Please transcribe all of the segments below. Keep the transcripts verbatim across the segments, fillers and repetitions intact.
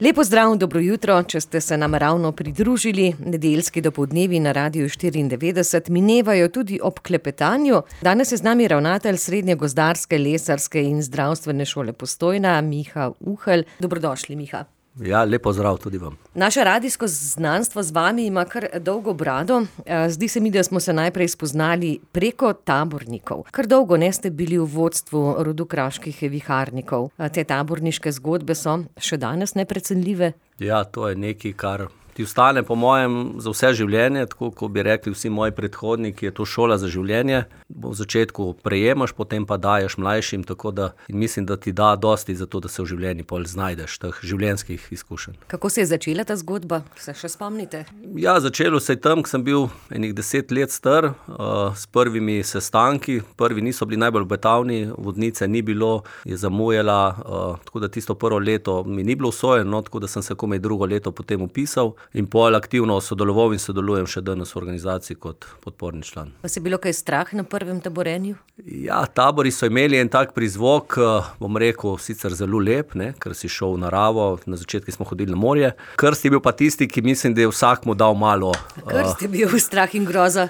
Lepo zdrav, dobro jutro, če ste se nam ravno pridružili. Nedeljski dopoldnevi na Radiu štiriindevetdeset minevajo tudi ob klepetanju. Danes je z nami ravnatelj Srednje gozdarske, lesarske in zdravstvene šole Postojna, Miha Uhelj. Dobrodošli, Miha. Ja, lepo zdrav tudi vam. Naše radijsko znanstvo z vami ima kar dolgo brado. Zdi se mi, da smo se najprej spoznali preko tabornikov. Kar dolgo ne ste bili v vodstvu rodu kraških viharnikov. Te taborniške zgodbe so še danes neprecenljive. Ja, to je nekaj, kar ti ostane po mojem za vse življenje, tako kot bi rekli vsi moji predhodniki, je to šola za življenje. V začetku prejemaš, potem pa daješ mlajšim, tako da mislim, da ti da dosti za to, da se v življenju pol znajdeš teh življenjskih izkušenj. Kako se je začela ta zgodba? Se še spomnite? Ja, začelo se je tam, ko sem bil enih deset let star, uh, s prvimi sestanki. Prvi niso bili najbolj obetavni, vodnice ni bilo, je zamujala, uh, tako da tisto prvo leto mi ni bilo usvojeno, tako da sem se komaj drugo leto potem upisal. In pol aktivno sodeloval in sodelujem še danes v organizaciji kot podporni član. Vas je bilo kaj strah na prvem taborenju? Ja, tabori so imeli en tak prizvok, bom rekel, sicer zelo lep, ne, ker si šel v naravo, na začetku smo hodili na morje. Krst je bil pa tisti, ki mislim, da je vsak mu dal malo. Krst je bil strah in groza.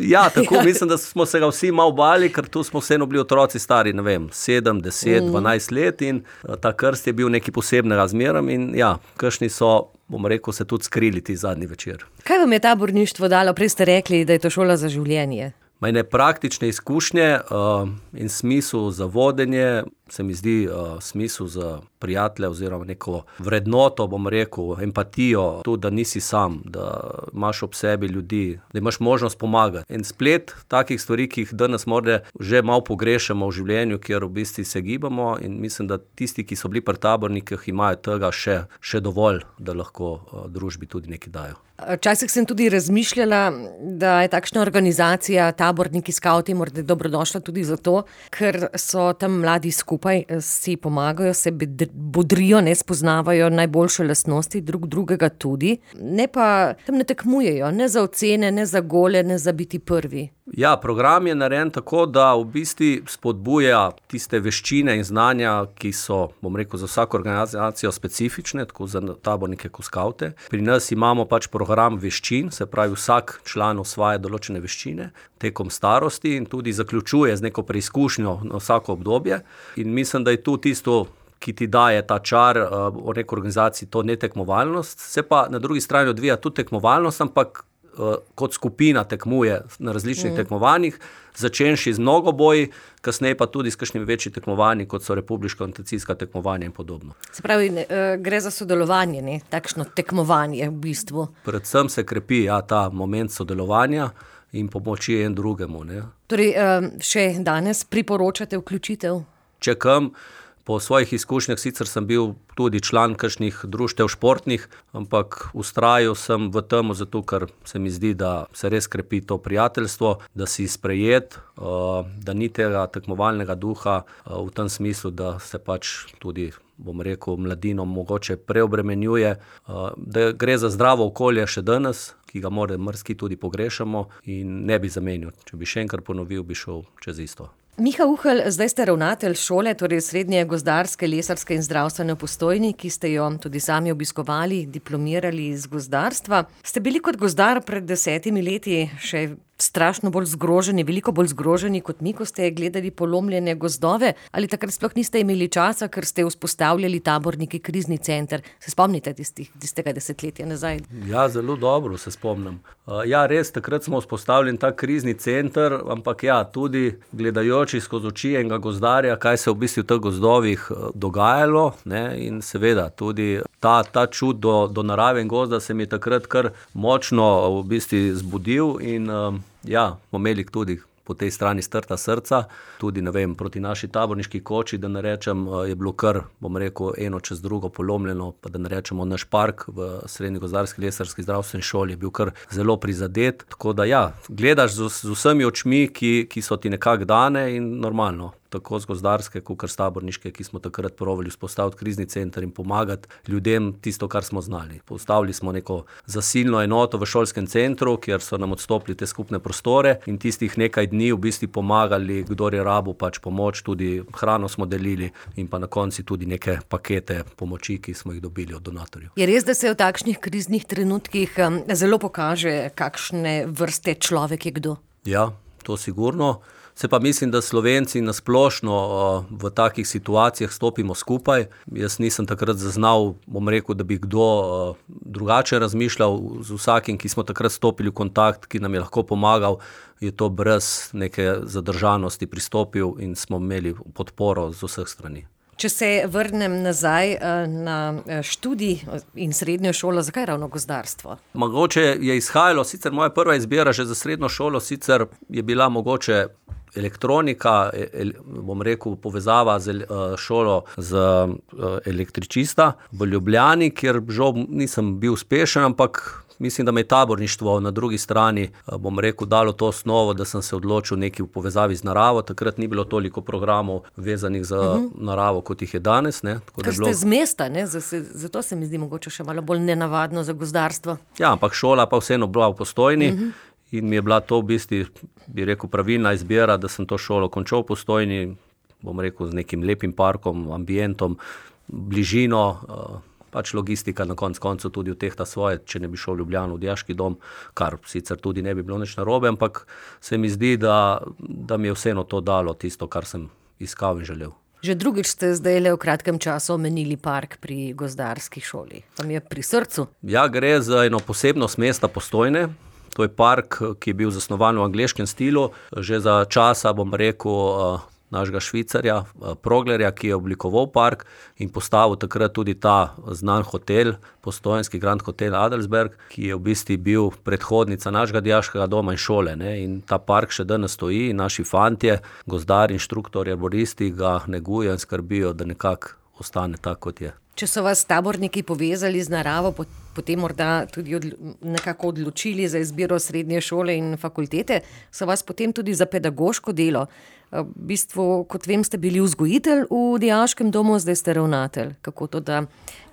Ja, tako mislim, da smo se ga vsi malo bali, ker tu smo vseeno bili otroci stari, ne vem, sedem, deset, dvanajst let in ta krst je bil nekaj posebnega zmerom in ja, kakšni so, bom rekel, se tudi skrili ti zadnji večer. Kaj vam je taborništvo dalo? Prej ste rekli, da je to šola za življenje. Mene praktične izkušnje uh, in smisel za vodenje, se mi zdi uh, smisel za prijatelje oziroma neko vrednoto, bom rekel, empatijo, tudi da nisi sam, da imaš ob sebi ljudi, da imaš možnost pomagati. En splet takih stvari, ki jih danes morda že malo pogrešamo v življenju, kjer v bistvu se gibamo in mislim, da tisti, ki so bili pri tabornikih, imajo tega še, še dovolj, da lahko uh, družbi tudi nekaj dajo. Včasih sem tudi razmišljala, da je takšna organizacija, taborniki, skavti, morda dobrodošla tudi zato, ker so tam mladi skupaj, si pomagajo, se bodrijo, ne spoznavajo najboljše lastnosti drug drugega tudi, ne pa tam ne tekmujejo, ne za ocene, ne za gole, ne za biti prvi. Ja, program je narejen tako, da v bistvu spodbuja tiste veščine in znanja, ki so, bom rekel, za vsako organizacijo specifične, tako za tabornike kot skavte. Pri nas imamo pač program veščin, se pravi vsak član osvaja določene veščine tekom starosti in tudi zaključuje z neko preizkušnjo na vsako obdobje. In mislim, da je tu tisto, ki ti daje ta čar uh, v neki organizaciji, to netekmovalnost. Se pa na drugi strani odvija tudi tekmovalnost, ampak uh, kot skupina tekmuje na različnih mm. tekmovanjih, začenši z mnogoboji, kasneje pa tudi s kakšnimi večji tekmovanji, kot so republiška orientacijska tekmovanja in podobno. Se pravi, ne, gre za sodelovanje, ne? Takšno tekmovanje v bistvu. Predvsem se krepi ja, ta moment sodelovanja in pomoči en drugemu. Ne? Torej, še danes priporočate vključitev? Če kam, po svojih izkušnjah sicer sem bil tudi član kakšnih društev športnih, ampak vztrajal sem v tem, zato ker se mi zdi, da se res krepi to prijateljstvo, da si sprejet, da ni tega tekmovalnega duha v tem smislu, da se pač tudi, bom rekel, mladino mogoče preobremenjuje, da gre za zdravo okolje še danes, ki ga morda mrski tudi pogrešamo in ne bi zamenil. Če bi še enkrat ponovil, bi šel čez isto. Miha Uhelj, zdaj ste ravnatelj šole, torej Srednje gozdarske, lesarske in zdravstvene v Postojni, ki ste jo tudi sami obiskovali, diplomirali iz gozdarstva. Ste bili kot gozdar pred desetimi leti še strašno bolj zgroženi, veliko bolj zgroženi kot mi, ko ste gledali polomljene gozdove, ali takrat sploh niste imeli časa, ker ste vzpostavljali taborniki krizni center? Se spomnite tistih, tistega desetletja nazaj? Ja, zelo dobro se spomnim. Ja, res, takrat smo vzpostavljali ta krizni center, ampak ja, tudi gledajoči skozi oči enega gozdarja, kaj se v bistvu v teh gozdovih dogajalo, ne, in seveda tudi ta, ta čut do, do narave in gozda se mi je takrat kar močno v bistvu zbudil in ja, smo imeli tudi po tej strani strta srca, tudi, ne vem, proti naši taborniški koči, da ne rečem, je bilo kar, bom rekel, eno čez drugo polomljeno, pa da ne rečemo, naš park v Srednji gozdarski, lesarski, zdravstveni šoli je bil kar zelo prizadet, tako da ja, gledaš z, z vsemi očmi, ki, ki so ti nekako dane in normalno. tako z gozdarske, kot s taborniške, ki smo takrat probali vzpostaviti krizni center in pomagati ljudem tisto, kar smo znali. Postavili smo neko zasilno enoto v šolskem centru, kjer so nam odstopili te skupne prostore in tistih nekaj dni v bistvu pomagali, kdor je rabil pač pomoč, tudi hrano smo delili in pa na konci tudi neke pakete pomoči, ki smo jih dobili od donatorjev. Je res, da se v takšnih kriznih trenutkih zelo pokaže, kakšne vrste človek je kdo? Ja, to sigurno. Se pa mislim, da Slovenci nasplošno v takih situacijah stopimo skupaj. Jaz nisem takrat zaznal, bom rekel, da bi kdo drugače razmišljal. Z vsakim, ki smo takrat stopili v kontakt, ki nam je lahko pomagal, je to brez neke zadržanosti pristopil in smo imeli podporo z vseh strani. Če se vrnem nazaj na študij in srednjo šolo, zakaj ravno gozdarstvo? Mogoče je izhajalo, sicer moja prva izbira že za srednjo šolo, sicer je bila mogoče elektronika, bom rekel, povezava z šolo z električista v Ljubljani, kjer žal nisem bil uspešen, ampak mislim, da me je taborništvo na drugi strani, bom rekel, dalo to osnovo, da sem se odločil nekaj v povezavi z naravo. Takrat ni bilo toliko programov vezanih za uh-huh. naravo, kot jih je danes. Ne. Ker ste bilo... z mesta, ne? Zato se mi zdi mogoče še malo bolj nenavadno za gozdarstvo. Ja, ampak šola pa vseeno bila v Postojni. Uh-huh. In mi je bila to v bistvu, bi rekel, pravilna izbira, da sem to šolo končal v Postojni, bom rekel, z nekim lepim parkom, ambientom, bližino, pač logistika na konc koncu tudi vtehta svoje, če ne bi šel v Ljubljano v dijaški dom, kar sicer tudi ne bi bilo nič narobe, ampak se mi zdi, da, da mi je vseeno to dalo tisto, kar sem iskal in želel. Že drugič ste zdajle v kratkem času omenili park pri gozdarski šoli. Vam je pri srcu? Ja, gre za eno posebnost mesta Postojne. To je park, ki je bil zasnovan v angleškem stilu, že za časa, bom rekel, našega Švicarja, Proglerja, ki je oblikoval park in postavil takrat tudi ta znan hotel, postojnski Grand Hotel Adelsberg, ki je v bistvu bil predhodnica našega dijaškega doma in šole. Ne? In ta park še danes stoji in naši fantje, gozdari, inštruktorji, arboristi ga negujejo in skrbijo, da nekako ostane tako, kot je. Če so vas taborniki povezali z naravo, potem morda tudi odlo- nekako odločili za izbiro srednje šole in fakultete, so vas potem tudi za pedagoško delo. V bistvu, kot vem, ste bili vzgojitelj v dijaškem domu, zdaj ste ravnatelj. Kako to, da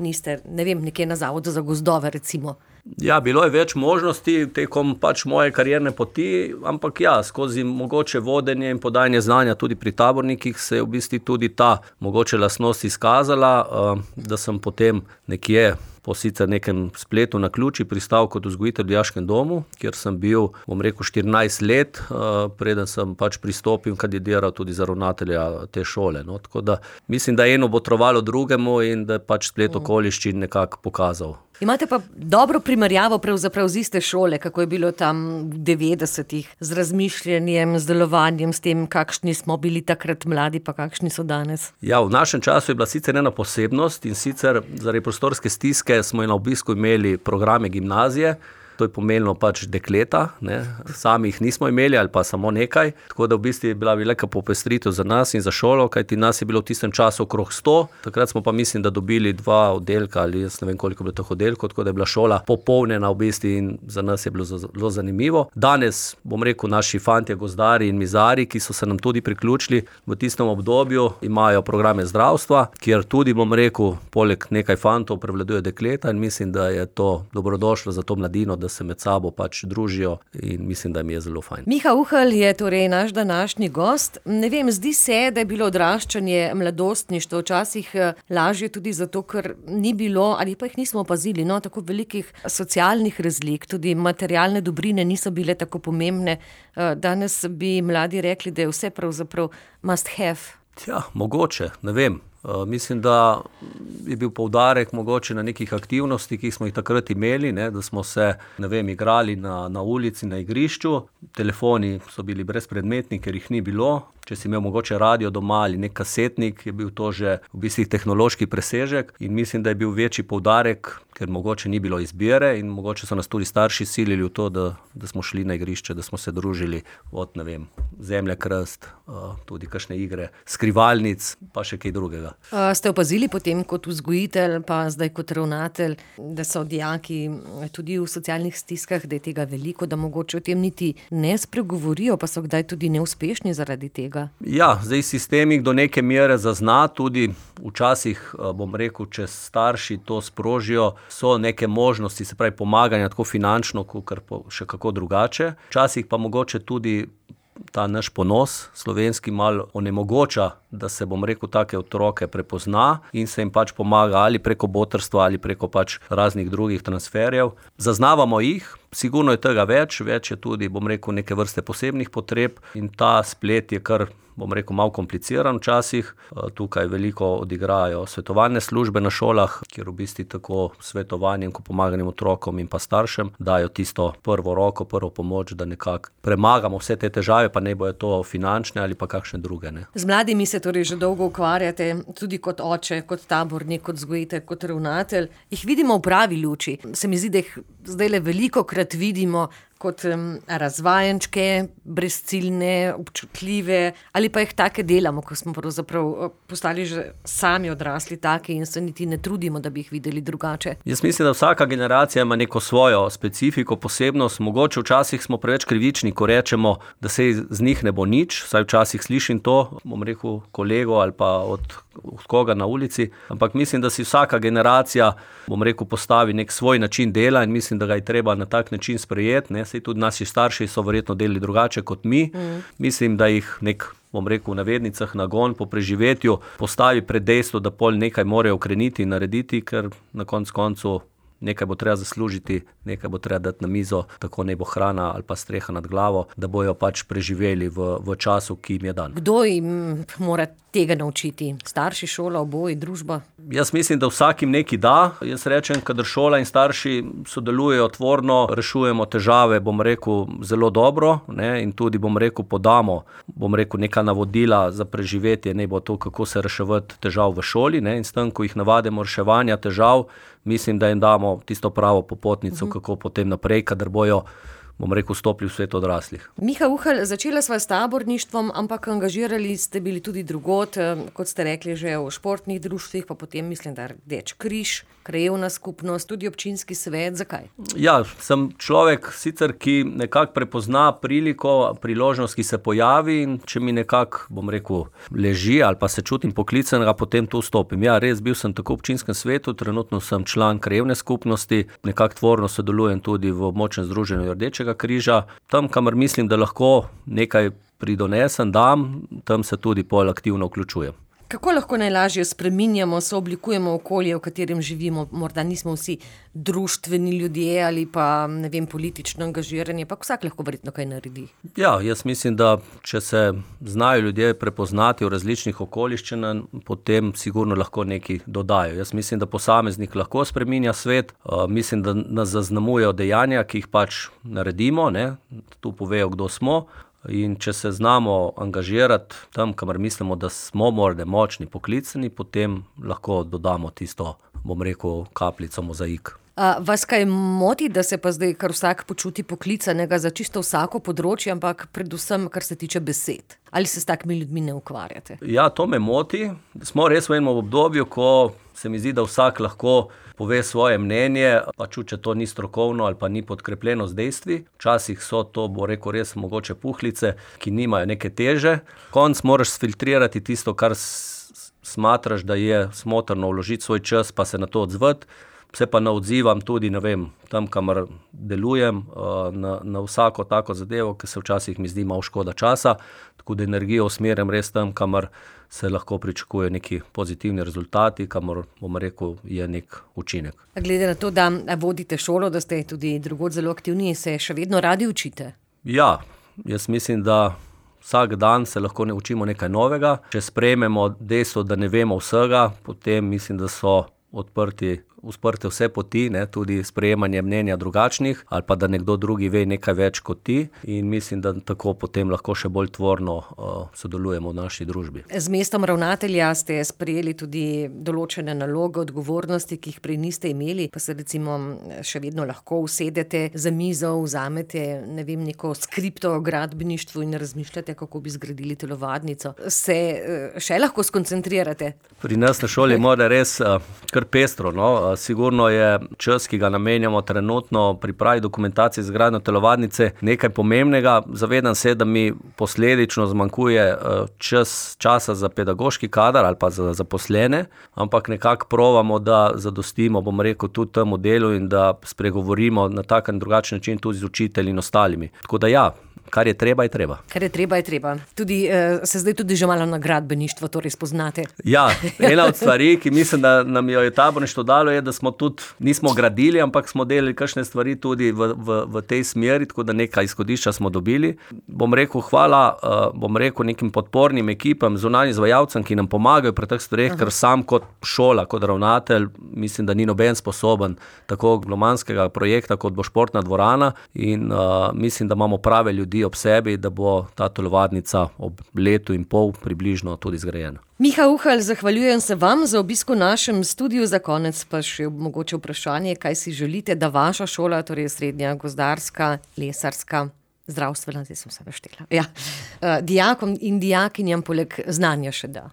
niste, ne vem, nekje na zavodu za gozdove, recimo? Ja, bilo je več možnosti tekom pač moje karierne poti, ampak ja, skozi mogoče vodenje in podajanje znanja tudi pri tabornikih se je v bistvu tudi ta mogoče lastnost izkazala, da sem potem nekje po sicer nekem spletu na ključi pristal kot vzgojitelj v dijaškem domu, kjer sem bil, bom rekel, štirinajst let, preden sem pač pristopil in kandidiral tudi za ravnatelja te šole. No, tako da mislim, da je eno botrovalo drugemu in da je pač splet okoliščin nekako pokazal. Imate pa dobro primerjavo pravzaprav z iste šole, kako je bilo tam v devetdesetih, z razmišljanjem, z delovanjem, s tem, kakšni smo bili takrat mladi, pa kakšni so danes? Ja, v našem času je bila sicer ena posebnost in sicer zaradi prostorske stiske smo na obisku imeli programe gimnazije. To je pomenilo pač dekleta, ne. Sami jih nismo imeli ali pa samo nekaj, tako da v bistvu je bila velika popestritev za nas in za šolo, kajti nas je bilo v tistem času okrog sto, takrat smo pa mislim, da dobili dva oddelka ali jaz ne vem koliko je bilo teh oddelkov, tako da je bila šola popolnjena v bistvu in za nas je bilo zelo zanimivo. Danes, bom rekel, naši fantje, gozdari in mizari, ki so se nam tudi priključili v tistem obdobju, imajo programe zdravstva, kjer tudi, bom rekel, poleg nekaj fantov prevladuje dekleta in mislim, da je to dobrodošlo za to mladino, da se med sabo pač družijo in mislim, da mi je zelo fajn. Miha Uhl je torej naš današnji gost. Ne vem, zdi se, da je bilo odraščanje, mladostništvo včasih lažje tudi zato, ker ni bilo ali pa jih nismo opazili, no, tako velikih socialnih razlik, tudi materialne dobrine niso bile tako pomembne. Danes bi mladi rekli, da je vse pravzaprav must have. Ja, mogoče, ne vem. Uh, mislim, da je bil poudarek mogoče na nekih aktivnosti, ki smo jih takrat imeli, ne, da smo se, ne vem, igrali na, na ulici, na igrišču. Telefoni so bili brezpredmetni, ker jih ni bilo. Če si imel mogoče radio doma ali nek kasetnik, je bil to že v bistvu tehnološki presežek in mislim, da je bil večji poudarek ker mogoče ni bilo izbire in mogoče so nas tudi starši silili v to, da, da smo šli na igrišče, da smo se družili od, ne vem, Zemlja, krst, tudi kakšne igre, skrivalnic, pa še kaj drugega. A ste opazili potem kot vzgojitelj, pa zdaj kot ravnatelj, da so dijaki tudi v socialnih stiskah, da je tega veliko, da mogoče o tem niti ne spregovorijo, pa so kdaj tudi neuspešni zaradi tega? Ja, zdaj sistem jih do neke mere zazna, tudi včasih, bom rekel, če starši to sprožijo, so neke možnosti, se pravi pomaganja tako finančno, kakor še kako drugače. Včasih pa mogoče tudi ta naš ponos slovenski malo onemogoča, da se, bom rekel, take otroke prepozna in se jim pač pomaga ali preko botrstva ali preko pač raznih drugih transferjev. Zaznavamo jih, sigurno je tega več, več je tudi, bom rekel, neke vrste posebnih potreb in ta splet je kar, bom rekel, malo kompliciran včasih. Tukaj veliko odigrajo svetovalne službe na šolah, kjer v bistvu tako svetovanjem, ko pomaganjem otrokom in pa staršem, dajo tisto prvo roko, prvo pomoč, da nekako premagamo vse te težave, pa ne bojo to finančne ali pa kakšne druge, ne. Z mladimi se torej že dolgo ukvarjate, tudi kot oče, kot tabornik, kot vzgojitelj, kot ravnatelj. Jih vidimo v pravi luči. Se mi zdi, da jih zdajle velikokrat vidimo kot razvajenčke, brezciljne, občutljive, ali pa jih take delamo, ko smo pravzaprav postali že sami odrasli taki in se niti ne trudimo, da bi jih videli drugače. Jaz mislim, da vsaka generacija ima neko svojo specifiko, posebnost. Mogoče včasih smo preveč krivični, ko rečemo, da se z njih ne bo nič, saj včasih slišim to, bom rekel, kolego ali pa od, od koga na ulici, ampak mislim, da si vsaka generacija, bom rekel, postavi nek svoj način dela in mislim, da ga je treba na tak način sprejeti, ne. Saj tudi naši starši so verjetno delali drugače kot mi. Mm. Mislim, da jih nek, bom rekel, v navednicah nagon po preživetju postavi pred dejstvo, da pol nekaj morajo ukreniti in narediti, ker na koncu koncu nekaj bo treba zaslužiti, nekaj bo treba dati na mizo, tako ne bo hrana ali pa streha nad glavo, da bojo pač preživeli v, v času, ki jim je dan. Kdo jim mora tega naučiti? Starši, šola, oboji, družba? Jaz mislim, da vsakim nekaj da. Jaz rečem, kadar šola in starši sodelujejo tvorno, rešujemo težave, bom rekel, zelo dobro, ne, in tudi, bom rekel, podamo, bom rekel, neka navodila za preživetje, ne bo to, kako se reševati težav v šoli, ne, in s tem, ko jih navadimo reševanja težav, mislim, da jim damo tisto pravo popotnico, uh-huh. kako potem naprej, kadar bojo, bom rekel, vstopili v svet odraslih. Miha Uhelj, začela sva s taborništvom, ampak angažirali ste bili tudi drugod, kot ste rekli, že v športnih društvih, pa potem mislim, da Rdeči križ, krajevna skupnost, tudi občinski svet. Zakaj? Ja, sem človek sicer, ki nekako prepozna priliko, priložnost, ki se pojavi in če mi nekako, bom rekel, leži ali pa se čutim poklicanega, potem tu vstopim. Ja, res bil sem tako v občinskem svetu, trenutno sem član krajevne skupnosti, nekako tvorno sodelujem tudi v območnem združenju Rdečega križa. Tam, kamor mislim, da lahko nekaj pridonesem, dam, tam se tudi pol aktivno vključujem. Kako lahko najlažje spreminjamo, sooblikujemo okolje, v katerem živimo? Morda nismo vsi društveni ljudje ali pa, ne vem, politično angažirani, pa vsak lahko verjetno kaj naredi. Ja, jaz mislim, da če se znajo ljudje prepoznati v različnih okoliščinah, potem sigurno lahko nekaj dodajo. Jaz mislim, da posameznik lahko spreminja svet, uh, mislim, da nas zaznamujejo dejanja, ki jih pač naredimo, ne, tu povejo, kdo smo. In če se znamo angažirati tam, kamor mislimo, da smo morda močni, poklicani, potem lahko dodamo tisto, bom rekel, kapljico mozaik. A, vas kaj moti, da se pa zdaj kar vsak počuti poklicanega za čisto vsako področje, ampak predvsem, kar se tiče besed? Ali se s takimi ljudmi ne ukvarjate? Ja, to me moti. Smo res v enem obdobju, ko se mi zdi, da vsak lahko pove svoje mnenje, pa če to ni strokovno ali pa ni podkrepljeno z dejstvi. Včasih so to, bo rekel, res mogoče puhlice, ki nimajo neke teže. Konc moraš sfiltrirati tisto, kar smatraš, da je smotrno vložiti svoj čas, pa se na to odzvati. Se pa ne odzivam tudi, ne vem, tam, kamor delujem, na, na vsako tako zadevo, ki se včasih mi zdi malo škoda časa, tako da energijo usmerjam res tam, kamor se lahko pričakuje neki pozitivni rezultati, kamor, bom rekel, je nek učinek. Glede na to, da vodite šolo, da ste tudi drugod zelo aktivni, se še vedno radi učite? Ja, jaz mislim, da vsak dan se lahko ne učimo nekaj novega. Če sprejmemo dejstvo, da ne vemo vsega, potem mislim, da so odprti usprte vse poti, ne, tudi sprejemanje mnenja drugačnih, ali pa da nekdo drugi ve nekaj več kot ti, in mislim, da tako potem lahko še bolj tvorno uh, sodelujemo v naši družbi. Z mestom ravnatelja ste sprejeli tudi določene naloge, odgovornosti, ki jih prej niste imeli, pa se recimo še vedno lahko usedete za mizo, vzamete, ne vem, neko skripto o gradbeništvu in razmišljate, kako bi zgradili telovadnico. Se še lahko skoncentrirate? Pri nas na šoli mora res uh, kar pestro, no. Uh, sigurno je čas, ki ga namenjamo trenutno pripravi dokumentacije za gradnjo telovadnice, nekaj pomembnega. Zavedam se, da mi posledično zmanjkuje uh, čas, časa za pedagoški kader ali pa za zaposlene, ampak nekako provamo, da zadostimo, bom rekel, tudi temu delu in da spregovorimo na tak in drugačen način tudi z učitelji in ostalimi. Tako da ja, kar je treba, je treba. Kar je treba, je treba. Tudi, eh, se zdaj tudi že malo na gradbeništvo torej spoznate. Ja, ena od stvari, ki mislim, da nam jo je taborništvo dalo, je, da smo tudi, nismo gradili, ampak smo delali kakšne stvari tudi v, v, v tej smeri, tako da nekaj izhodišča smo dobili. Bom rekel, hvala, uh, bom rekel nekim podpornim ekipam, zunanjim izvajalcem, ki nam pomagajo pri teh stvareh, ker sam kot šola, kot ravnatelj, mislim, da ni noben sposoben tako glomanskega projekta, kot bo športna dvorana, in uh, mislim, da imamo prave ljudi ob sebi, da bo ta telovadnica ob letu in pol približno tudi zgrajena. Miha Uhalj, zahvaljujem se vam za obisk v našem studiu, za konec pa še mogoče vprašanje, kaj si želite, da vaša šola, torej srednja gozdarska, lesarska, zdravstvena, zdaj sem se naštela, ja, dijakom in dijakinjam poleg znanja še da.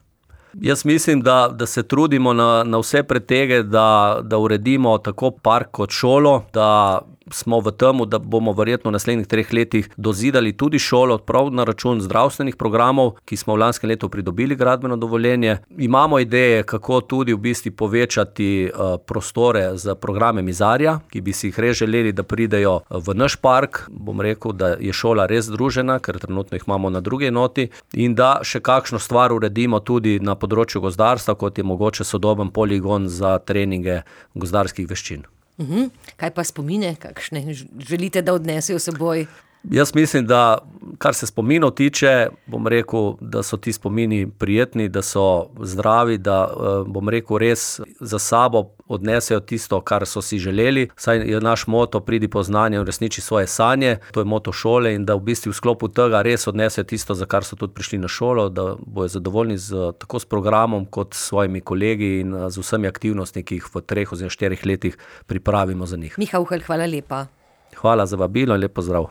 Jaz mislim, da, da se trudimo na, na vse pretege, da, da uredimo tako park kot šolo, da smo v temu, da bomo verjetno v naslednjih treh letih dozidali tudi šolo, prav na račun zdravstvenih programov, ki smo v lanskem letu pridobili gradbeno dovoljenje. Imamo ideje, kako tudi v bistvu povečati uh, prostore za programe Mizarja, ki bi si jih res želeli, da pridejo v naš park. Bom rekel, da je šola res združena, ker trenutno jih imamo na drugi enoti, in da še kakšno stvar uredimo tudi na področju gozdarstva, kot je mogoče sodoben poligon za treninge gozdarskih veščin. Uhum. Kaj pa spomine, kakšne želite, da odnesejo seboj? Jaz mislim, da kar se spominov tiče, bom rekel, da so ti spomini prijetni, da so zdravi, da bom rekel res za sabo odnesejo tisto, kar so si želeli. Saj je naš moto pridi po znanje in uresniči svoje sanje, to je moto šole, in da v bistvu v sklopu tega res odnesejo tisto, za kar so tudi prišli na šolo, da bojo zadovoljni z, tako s programom kot s svojimi kolegi in z vsemi aktivnostmi, ki jih v treh oziroma štirih letih pripravimo za njih. Miha Uhalj, hvala lepa. Hvala za vabilo in lep pozdrav.